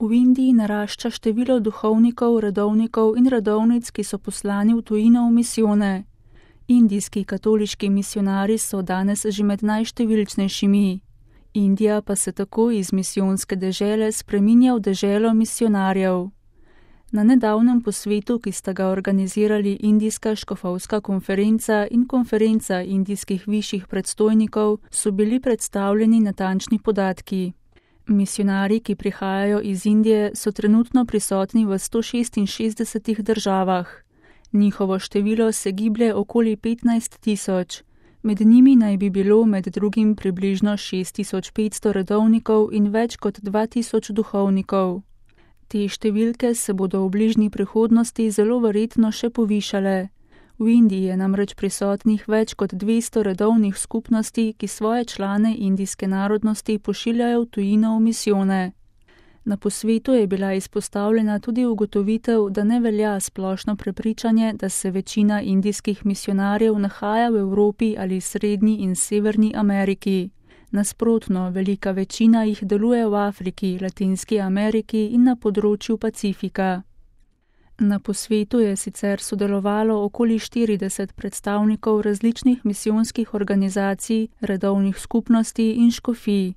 V Indiji narašča število duhovnikov, redovnikov in redovnic, ki so poslani v tujino v misijone. Indijski katoliški misijonarji so danes že med najštevilčnejšimi. Indija pa se tako iz misijonske dežele spreminja v deželo misijonarjev. Na nedavnem posvetu, ki sta ga organizirali Indijska škofovska konferenca in konferenca indijskih višjih predstojnikov, so bili predstavljeni natančni podatki. Misijonarji, ki prihajajo iz Indije, so trenutno prisotni v 166 državah. Njihovo število se giblje okoli 15 tisoč. Med njimi naj bi bilo med drugim približno 6500 redovnikov in več kot 2000 duhovnikov. Te številke se bodo v bližnji prihodnosti zelo verjetno še povišale. V Indiji je namreč prisotnih več kot 200 redovnih skupnosti, ki svoje člane indijske narodnosti pošiljajo v tujino v misijone. Na posvetu je bila izpostavljena tudi ugotovitev, da ne velja splošno prepričanje, da se večina indijskih misijonarjev nahaja v Evropi ali Srednji in Severni Ameriki. Nasprotno, velika večina jih deluje v Afriki, Latinski Ameriki in na področju Pacifika. Na posvetu je sicer sodelovalo okoli 40 predstavnikov različnih misijonskih organizacij, redovnih skupnosti in škofij.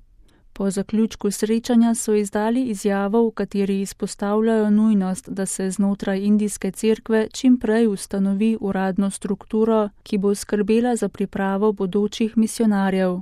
Po zaključku srečanja so izdali izjavo, v kateri izpostavljajo nujnost, da se znotraj indijske cerkve čim prej ustanovi uradno strukturo, ki bo skrbela za pripravo bodočih misijonarjev.